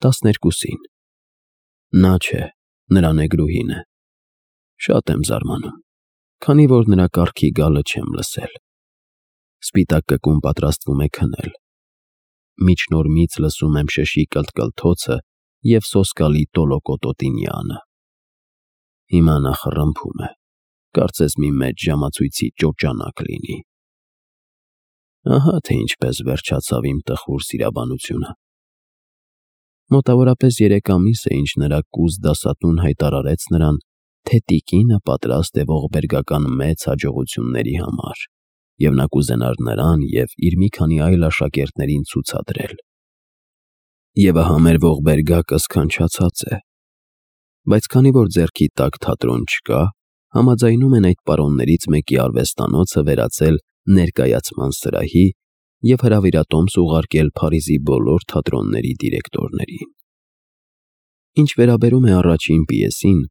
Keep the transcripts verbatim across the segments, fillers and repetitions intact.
տասներկուսին։ Նա չէ, նրա նեգրուհին է։ Շատ եմ զարմանում, քանի որ նրա կառքի գալը չեմ լսել։ Սպիտակ կկուն պատրաստվում է քնել։ Միջնորմից լսում եմ շշի կլթկլթոցը և սոսկալի տոլոկոտոտինյանը։ Հիմա նա խռմփում է, կարծես մի մեծ ժամացույցի ճոճանակ լինի։ Ահա թե ինչպես վերջացավ իմ տխուր սիրաբանությունը։ Մոտավորապես երեք ամիս է, ինչ նրա կուզ դասատուն հայտարարեց նրան, թե տիկինը պատրաստ է ողբերգական մեծ հաջողությունների համար, և նա կուզենար նրան և իր մի քանի այլ աշակերտներին ցուցադրել։ Եվ ահա մեր ողբերգակը սքանչացած է։ Բայց քանի որ ձեռքի տակ թատրոն չկա, համաձայնում են այդ պարոններից մեկի արվեստանոցը վերածել ներկայացման սրահի և հրավիրատոմս ուղարկել Փարիզի բոլոր թատրոնների դիրեկտորներին։ Ինչ վերաբերում է առաջին պիեսին,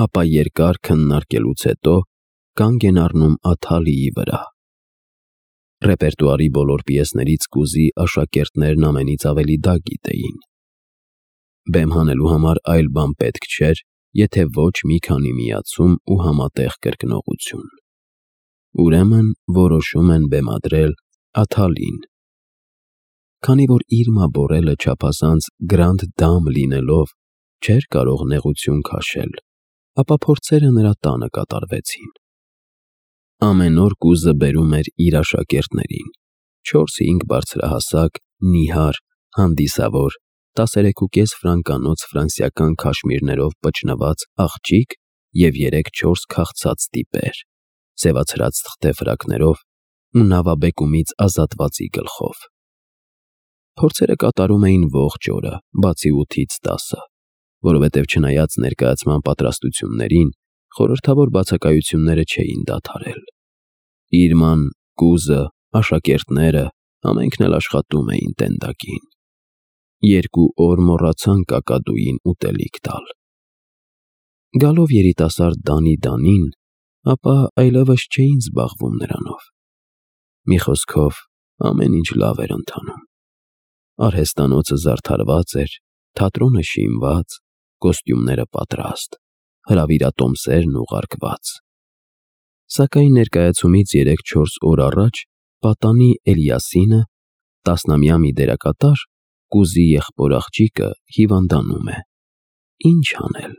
ապա երկար քննարկելուց հետո կանգ են առնում Աթալիի վրա։ Ռեպերտուարի բոլոր պիեսներից կուզի աշակերտներն ամենից ավելի դա գիտեին։ Բեմ հանելու համար այլ բան պետք չէր, եթե ոչ մի քանի միացում ու համատեղ կրկնողություն։ Ուրեմն որոշում են բեմադրել Աթալին։ Քանի որ Իրմա Բորելը չափազանց գրանդ դամ լինելով չէր կարող նեղություն քաշել, ապա փորձերը նրա տանը կատարվեցին։ Ամեն օր կուզը բերում էր իր աշակերտներին՝ չորս֊հինգ բարձրահասակ, նիհար, հանդիսավոր, տասներեքուկես ֆրանկանոց ֆրանսիական քաշմիրներով պճնված աղջիկ և երեք֊չորս քաղցած տիպեր՝ սևացրած թղթե ֆրակներով ու նավաբեկումից ազատվածի գլխով։ Փորձերը կատարում էին ողջ օրը, բացի ութից տասը, որովհետև չնայած ներկայացման պատրաստություններին, խորհրդավոր բացակայությունները չէին դադարել։ Իրման, կուզը, աշակերտները ամենքն էլ աշխատում էին տենդակին։ Երկու օր մոռացան կակադուին ուտելիք տալ։ Գալով երիտասարդ Դանի-Դանին, ապա այլևս չէին զբաղվում նրանով։ Մի խոսքով, ամեն ինչ լավ էր ընթանում։ Արհեստանոցը զարդարված էր, թատրոնը շինված, կոստյումները պատրաստ, հրավիրատոմսերն ուղարկված։ Սակայն ներկայացումից երեք-չորս օր առաջ պատանի Էլիասինը, տասնամյա մի դերակատար, կուզի եղբոր աղջիկը, հիվանդանում է։ Ինչ անել,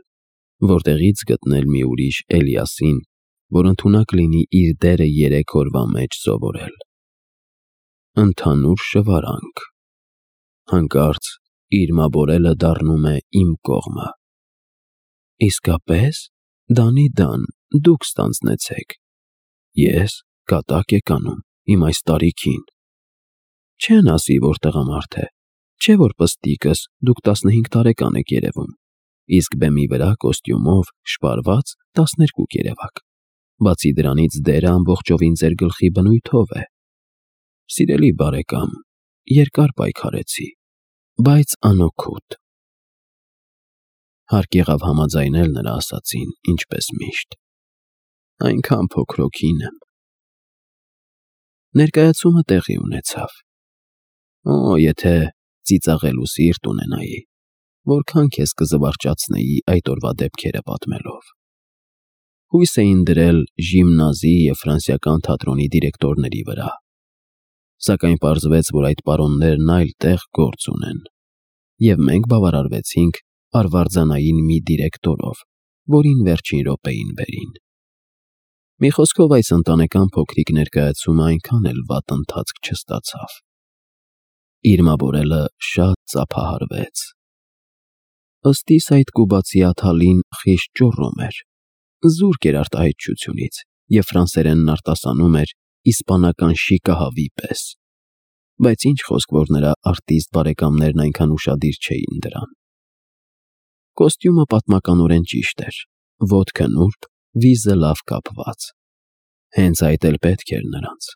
որտեղի՞ց գտնել մի ուրիշ Էլիասին, որ ընդունակ լինի իր դերը երեք օրվա մեջ սովորել։ Ընդհանուր շվարանք։ Հանկարծ Իրմա Բորելը դառնում է իմ կողմը։ Իսկապե՞ս, Դանի֊Դան, դուք ստանձնեցեք։ Ես, կատակ եք անում, իմ այս տարիքին։ Չեն ասի, որ տղամարդ է, չէ՞ որ պստիկս, դուք տասնհինգ տարեկան եք երևում, իսկ բեմի վրա կոստյումով, շպարված տասներկու երևաք։ Բացի դրանից դերը ամբողջովին ձեր գլխի բնույթով է։ Սիրելի բարեկամ, երկար պայքարեցի, բայց անօգուտ։ Հարկ եղավ համաձայնել նրա ասածին, ինչպես միշտ։ Այնքան փոքրոքին եմ։ Ներկայացումը տեղի ունեցավ։ Օ, եթե ծիծաղելու սիրտ ունենայի, որքան քեզ կզվարճացնեի այդ օրվա դեպքերը պատմելով։ Հույս էին դրել ժիմնազի և ֆրանսիական թատրոնի դիրեկտորների վրա։ Սակայն պարզվեց, որ այդ պարոններն այլ տեղ գործ ունեն, և մենք բավարարվեցինք արվարձանային մի դիրեկտորով, որին վերջին րոպեին բերին։ Մի խոսքով, այս ընտանեկան փոքրիկ ներկայացումը այնքան էլ վատ ընթացք չստացավ։ Իրմա Բորելը շատ ծափահարվեց։ Ըստ իս այդ կուբացի Աթալին խիստ ճոռոմ էր, զուրկ էր արտահայտչությունից և ֆրանսերենն արտասանում էր իսպանական շիկահավի պես, բայց ինչ խոսք, որ նրա արտիստ բարեկամներն այնքան ուշադիր չէին դրան։ Կոստյումը պատմականորեն ճիշտ էր, ոտքը նուրբ, վիզը լավ կապված։ Հենց այդ էլ պետք էր նրանց։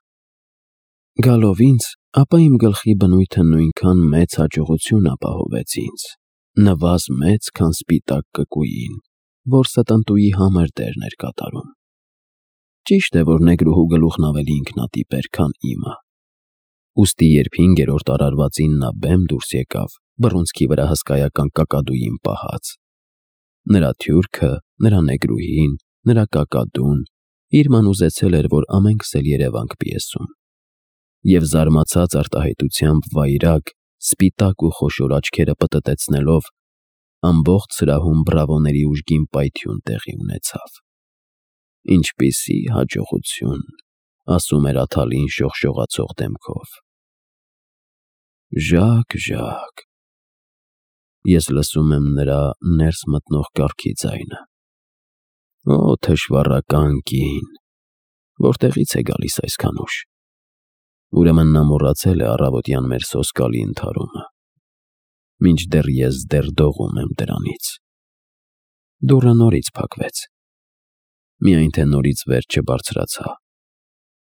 Գալով ինձ, ապա իմ գլխի բնույթը նույնքան մեծ հաջողություն ապահովեց ինձ, նվազ մեծ, քան սպիտակ կկուին, որ ստընտուի համր դերն էր կատարում։ Ճիշտ է, որ նեգրուհու գլուխն ավելի ինքնատիպ էր, քան իմը։ Ուստի երբ հինգերորդ արարվածին նա բեմ դուրս եկավ, բռունցքի վրա հսկայական կակադուին պահած։ Նրա թյուրքը, նրա նեգրուհին, նրա կակադուն իր ման ուզեցել էր, որ ամենքս էլ երևանք պիեսում։ Եվ զարմացած արտահայտությամբ վայրագ, սպիտակ ու խոշոր աչքերը պտտեցնելով, ամբողջ սրահում բրավոների ուժգին պայթյուն տեղի ունեցավ։ «Ինչպիսի հաջողություն», ասում էր Աթալին շողշողացող դեմքով։ «Ժակ, Ժակ»։ Ես լսում եմ նրա ներս մտնող կառքի ձայնը։ Օ, թշվառական կին, որտեղից է գալիս այսքան ուշ։ Ուրեմն նա մոռացել է առավոտյան մեր սոսկալի ընդհարումը, մինչդեռ ես դեռ դողում եմ դրանից։ Դուռը նորից փակվեց, միայն թե նորից վեր չբարձրացա։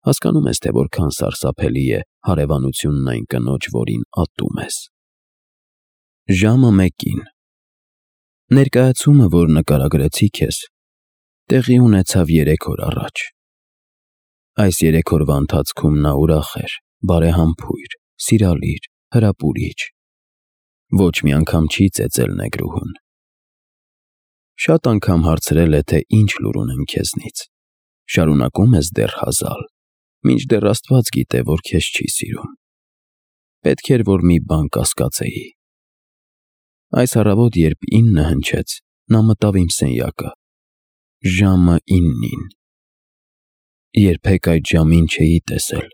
Հասկանում ես, թե որքան սարսափելի է հարևանությունն այն կնոջ, որին ատում ես։ Ժամը մեկին։ Ներկայացումը, որ նկարագրեցի քեզ, տեղի ունեցավ երեք օր առաջ։ Այս երեք օրվա ընթացքում նա ուրախ էր, բարեհամբույր, սիրալիր, հրապուրիչ։ Ոչ մի անգամ չի ծեծել նեգրուհուն։ Շատ անգամ հարցրել է, թե ինչ լուր ունեմ քեզնից։ Շարունակում ես դեռ հազալ, մինչդեռ Աստված գիտե, որ քեզ չի սիրում։ Պետք էր, որ մի բան կասկածեի։ Այս առավոտ, երբ ինը հնչեց, նա մտավ իմ սենյակը։ Ժամը իննին։ Երբեք այդ ժամին չէի տեսել։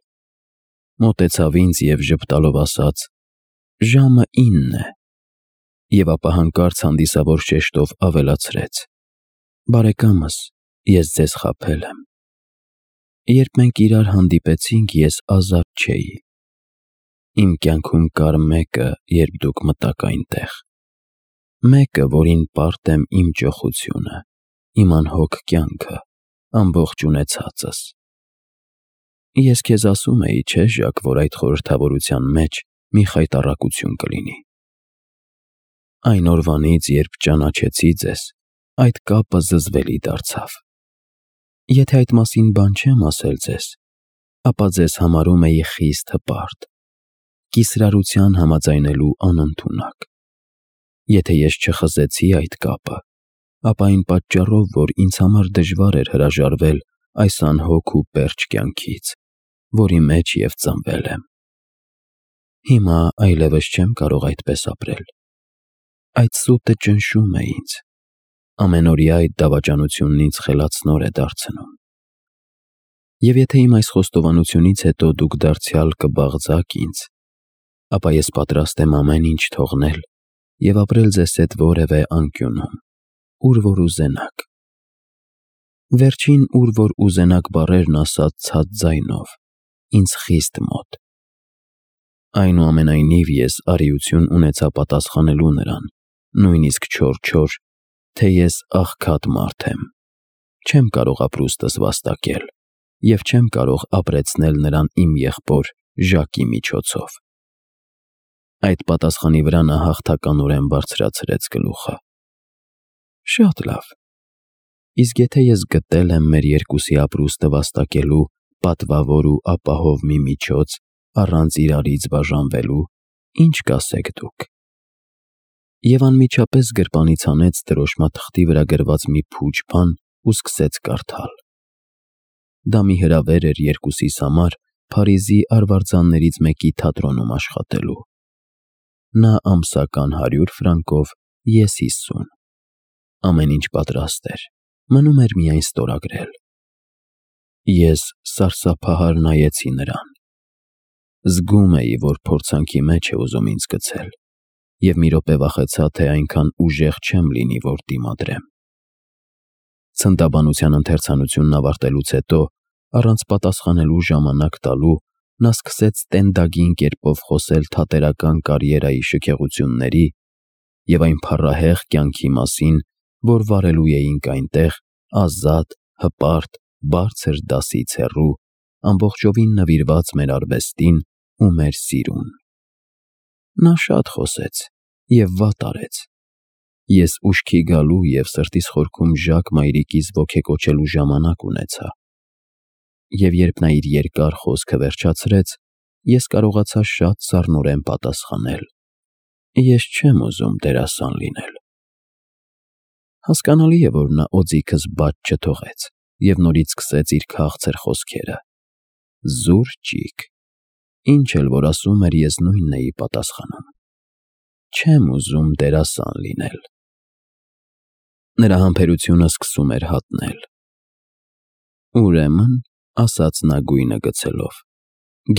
Մոտեցավ ինձ և ժպտալով ասաց. «Ժամը ինն է», և ապա հանկարծ հանդիսավոր շեշտով ավելացրեց. «Բարեկամս, ես ձեզ խաբել եմ։ Երբ մենք իրար հանդիպեցինք, ես ազատ չէի։ Իմ կյանքում կար մեկը, երբ դուք մտաք այնտեղ։ Մեկը, որին պարտ եմ իմ ճոխությունը, իմ անհոգ կյանքը, ամբողջ ունեցածս։ Ես քեզ ասում էի, չէ՞ Ժակ, որ այդ խորհրդավորության մեջ մի խայտառակություն կլինի։ Այն օրվանից, երբ ճանաչեցի ձեզ, այդ կապը զզվելի դարձավ։ Եթե այդ մասին բան չեմ ասել ձեզ, ապա ձեզ համարում էի խիստ հպարտ, կիսրարության համաձայնելու անընդունակ։ Եթե ես չխզեցի այդ կապը, ապա այն պատճառով, որ ինձ համար դժվար էր հրաժարվել այս անհոգ ու պերճ կյանքից, որի մեջ և ծնվել եմ։ Հիմա այլևս չեմ կարող այդպես ապրել։ Այդ սուտը ճնշում է ինձ։ Ամենօրյա այդ դավաճանությունն ինձ խելացնոր է դարձնում։ Եվ եթե իմ այս խոստովանությունից հետո դուք դարձյալ կբաղձաք ինձ, ապա ես պատրաստ եմ ամեն ինչ թողնել և ապրել ձեզ հետ որևէ անկյունում, ուր որ ուզենաք։ Վերջին «ուր որ ուզենաք» բառերն ասաց ցած ձայնով, ինձ խիստ մոտ։ Այնուամենայնիվ ես արիություն ունեցա պատասխանելու նրան, նույնիսկ չոր-չոր, թե ես աղքատ մարդ եմ, չեմ կարող ապրուստս վաստակել և չեմ կարող ապրեցնել նրան իմ եղբոր Ժակի միջոցով։ Այդ պատասխանի վրա նա հաղթականորեն բարձրացրեց գլուխը։ Շատ լավ։ Իսկ եթե ես գտել եմ մեր երկուսի ապրուստը վաստակելու պատվավոր ու ապահով մի միջոց առանց իրարից բաժանվելու, ինչ կասեք դուք։ Եվ անմիջապես գրպանից հանեց դրոշմաթղթի վրա գրված մի փուչ բան ու սկսեց կարդալ։ Դա մի հրավեր էր երկուսիս համար Փարիզի արվարձաններից մեկի թատրոնում աշխատելու։ Նա ամսական հարյուր ֆրանկով, ես հիսուն։ Ամեն ինչ պատրաստ էր, մնում էր միայն ստորագրել։ Ես սարսափահար նայեցի նրան։ Զգում էի, որ փորձանքի մեջ է ուզում ինձ գցել, և մի րոպե վախեցա, թե այնքան ուժեղ չեմ լինի, որ դիմադրեմ։ Ցնդաբանության ընթերցանությունն ավարտելուց հետո, առանց պատասխանելու ժամանակ տալու, նա սկսեց տենդագին կերպով խոսել թատերական կարիերայի շքեղությունների և այն փառահեղ կյանքի մասին, որ վարելու էինք այնտեղ, ազատ, հպարտ, բարձր դասից հեռու, ամբողջովին նվիրված մեր արվեստին ու մեր սիրուն։ Նա շատ խոսեց և վատ արեց։ Ես ուշքի գալու և սրտիս խորքում Ժակ մայրիկիս ոգեկոչելու ժամանակ ունեցա։ Եվ երբ նա իր երկար խոսքը վերջացրեց, ես կարողացա շատ սառնորեն պատասխանել. Ես չեմ ուզում դերասան լինել։ Հասկանալի է, որ նա օձիքս բաց չթողեց և նորից սկսեց իր քաղցր խոսքերը. Զուր-ճիկ, ինչ էլ որ ասում էր, ես նույնն էի պատասխանում. չեմ ուզում դերասան լինել։ Նրա համբերությունը սկսում էր հատնել։ Ուրեմն, ասաց նա գույնը գցելով,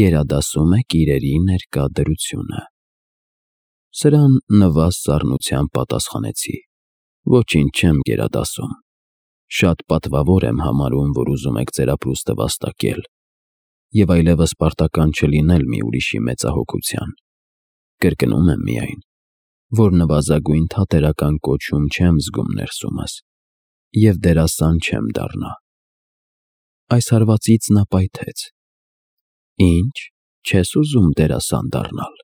գերադասում եք իրերի ներկա դրությունը։ Սրան նվազ սառնությամբ պատասխանեցի. Ոչինչ չեմ գերադասում։ Շատ պատվավոր եմ համարում, որ ուզում եք ձեր ապրուստը վաստակել և այլևս պարտական չլինել մի ուրիշի մեծահոգության։ Կրկնում եմ միայն, որ նվազագույն թատերական կոչում չեմ զգում ներսումս և դերասան չեմ դառնա։ Այս հարվածից նա պայթեց. Ինչ, չես ուզում դերասան դառնալ։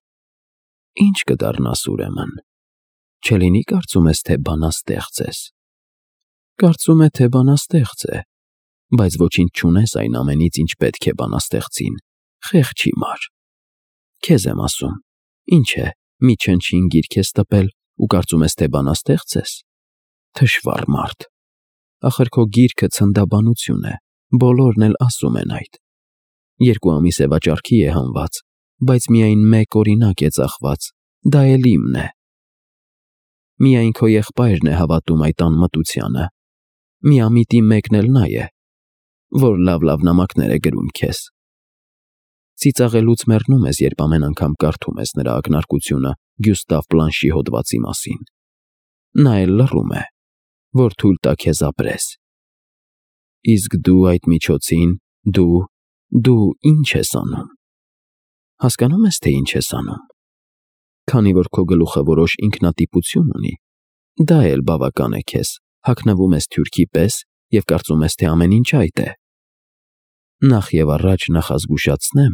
Ինչ կդառնաս ուրեմն։ Չլինի կարծում ես, թե բանաստեղծ ես։ Կարծում է, թե բանաստեղծ է, բայց ոչինչ չունես այն ամենից, ինչ պետք է բանաստեղծին, խեղճ հիմար։ Քեզ եմ ասում, ինչ է, մի չնչին գիրք ես տպել ու կարծում ես, թե բանաստեղծ ես։ Թշվառ մարդ։ Ախր քո գիրքը ցնդաբանություն է, բոլորն էլ ասում են այդ։ Երկու ամիս է վաճառքի է հանված, բայց միայն մեկ օրինակ է ծախված, դա էլ իմն է։ Միայն քո եղբայրն է հավատում այդ անմտությանը։ Միամիտի մեկն էլ նա է, որ լավ-լավ նամակներ է գրում քեզ։ Ծիծաղելուց մեռնում ես, երբ ամեն անգամ կարդում ես նրա ակնարկությունը Գյուստավ Բլանշի հոդվածի մասին։ Նա էլ լռում է, որ թույլ տա քեզ ապրես։ Իսկ դու այդ միջոցին, դու, դու ինչ ես անում։ Հասկանո՞ւմ ես, թե ինչ ես անում։ Քանի որ քո գլուխը որոշ ինքնատիպություն ունի, դա էլ բավական է քեզ, հագնվում ես թյուրքի պես և կարծում ես, թե ամեն ինչ այդ է։ Նախ և առաջ նախազգուշացնեմ,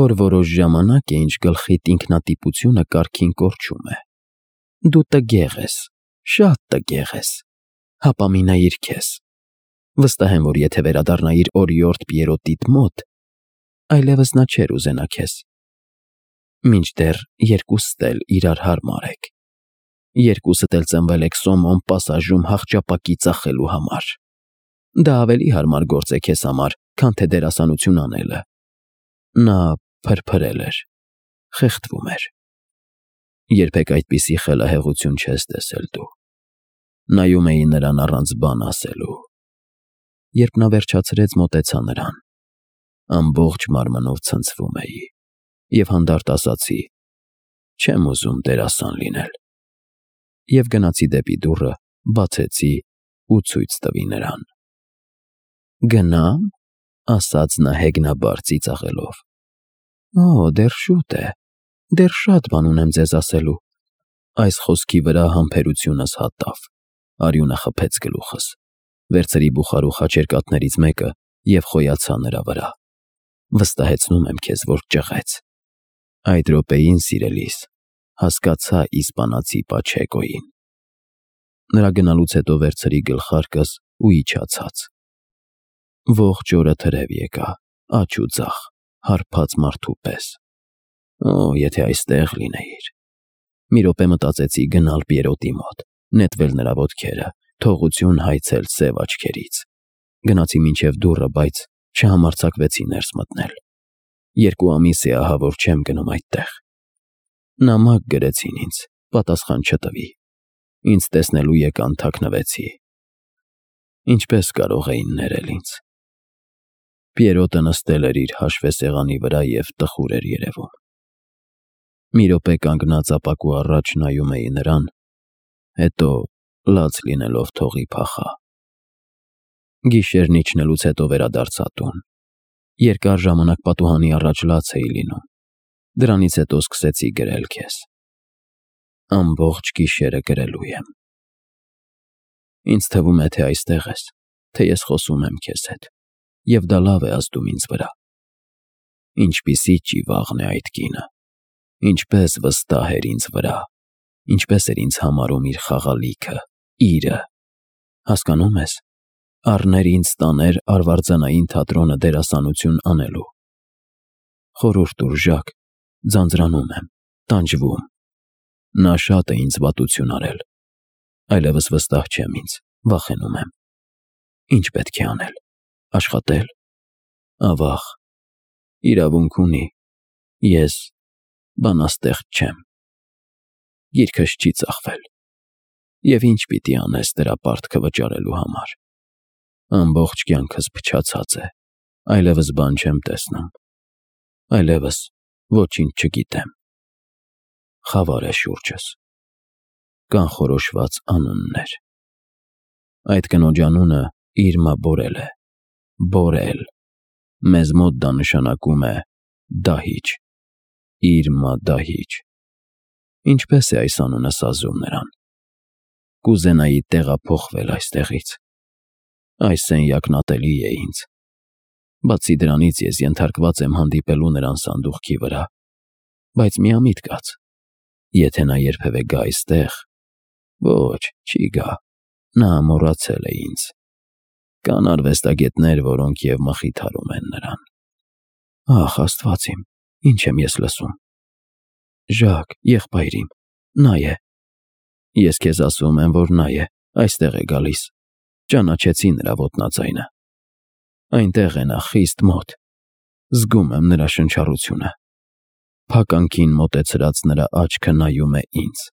որ որոշ ժամանակ է, ինչ գլխիդ ինքնատիպությունը կարգին կորչում է։ Դու տգեղ ես, շատ տգեղ ես, հապամինայիր քեզ։ Վստահ եմ, որ եթե վերադառնայիր օրիորդ Պիերոտիդ մոտ, այլևս նա չէր ուզենա քեզ։ Մինչդեռ երկուսդ էլ իրար հարմար եք։ Երկուսդ էլ ծնվել եք Սոմոն պասաժում հախճապակի ծախելու համար։ Դա ավելի հարմար գործ է քեզ համար, քան թե դերասանություն անելը։ Նա փրփրել էր, խեղդվում էր։ Երբեք այդպիսի խելահեղություն չես տեսել դու։ Նայում էի նրան առանց բան ասելու։ Երբ նա վերջացրեց, մոտեցա նրան։ Ամբողջ մարմնով ցնցվում էի և հանդարտ ասացի. չեմ ուզում դերասան լինել։ Եվ գնացի դեպի դուռը, բացեցի ու ցույց տվի նրան։ Գնա՞մ, ասաց նա հեգնաբար ծիծաղելով։ Օ, դեռ շուտ է, դեռ շատ բան ունեմ ձեզ ասելու։ Այս խոսքի վրա համբերությունս հատավ, արյունը խփեց գլուխս, վերցրի բուխարու խաչերկատներից մեկը և խոյացա նրա վրա։ Վստահեցնում եմ քեզ, որ ճղեց։ Այդ րոպեին, սիրելիս, հասկացա իսպանացի Պաչեկոյին։ Նրա գնալուց հետո վերցրի գլխարկս ու իջա ցած։ Ողջ օրը թրև եկա, աջ ու ձախ, հարբած մարդու պես։ Օ, եթե այստեղ լինեիր։ Մի րոպե մտածեցի գնալ Պիերոտի մոտ, նետվել նրա ոտքերը, թողություն հայցել սև աչքերից։ Գնացի մինչև դուռը, բայց չհամարձակվեցի ներս մտնել։ Երկու ամիս է ահա, որ չեմ գնում այդտեղ։ Նամակ գրեցին ինձ, պատասխան չտվի։ Ինձ տեսնելու եկան, թաքնվեցի։ Ինչպես կարող էին ներել ինձ։ Պիերոտը նստել էր իր հաշվեսեղանի վրա և տխուր էր երևում։ Մի րոպե կանգնած ապակու առաջ նայում էի նրան, հետո լաց լինելով թողի փախա։ Գիշերն իջնելուց հետո վերադարձա տուն։ Երկար ժամանակ պատուհանի առաջ լաց էի լինում։ Դրանից հետո սկսեցի գրել քեզ։ Ամբողջ գիշերը գրելու եմ։ Ինձ թվում է, թե այստեղ ես, թե ես խոսում եմ քեզ հետ, և դա լավ է ազդում ինձ վրա։ Ինչպիսի ճիվաղն է այդ կինը, ինչպես վստահ էր ինձ վրա, ինչպես էր ինձ համարում իր խաղալիքը, իրը։ Հասկանո՞ւմ ես, առներ ինձ տաներ արվարձանային թատրոնը դերասանություն անելու։ Խորհուրդ տուր, Ժակ, ձանձրանում եմ, տանջվում։ Նա շատ է ինձ վատություն արել, այլևս վստահ չեմ ինձ, վախենում եմ։ Ինչ պետք է անել, աշխատել, ավաղ, իրավունք ունի, ես բանաստեղծ չեմ, գիրքս չի ծախվել, և ինչ պիտի անես դրա պարտքը վճարելու համար։ Ամբողջ կյանքս փչացած է, այլևս բան չեմ տեսնում, այլևս ոչինչ չգիտեմ։ Խավար է շուրջս, կանխորոշված անուններ։ Այդ կնոջ անունը Իրմա Բորել է, Բորել, մեզ մոտ դա նշանակում է դահիճ, Իրմա դահիճ։ Ինչպես է այս անունը սազում նրան։ Կուզենայի տեղափոխվել այստեղից։ Այս սենյակն ատելի է ինձ։ Բացի դրանից ես ենթարկված եմ հանդիպելու նրան սանդուղքի վրա, բայց միամիտ կաց, եթե նա երբևէ գա այստեղ, ոչ, չի գա, նա մոռացել է ինձ։ Կան արվեստագետներ, որոնք և մխիթարում են նրան։ Ախ, Աստված իմ, ինչ եմ ես լսում։ Ժակ, եղբայր իմ, նա է։ Ես քեզ ասում եմ, որ նա է, այստեղ է գալիս, ճանաչեցի նրա ոտնաձայնը։ Այնտեղ է նա խիստ մոտ, զգում եմ նրա շնչառությունը։ Փականքին մոտեցրած նրա աչքը նայում է ինձ։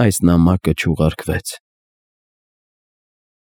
Այս նամակը չուղարկվեց,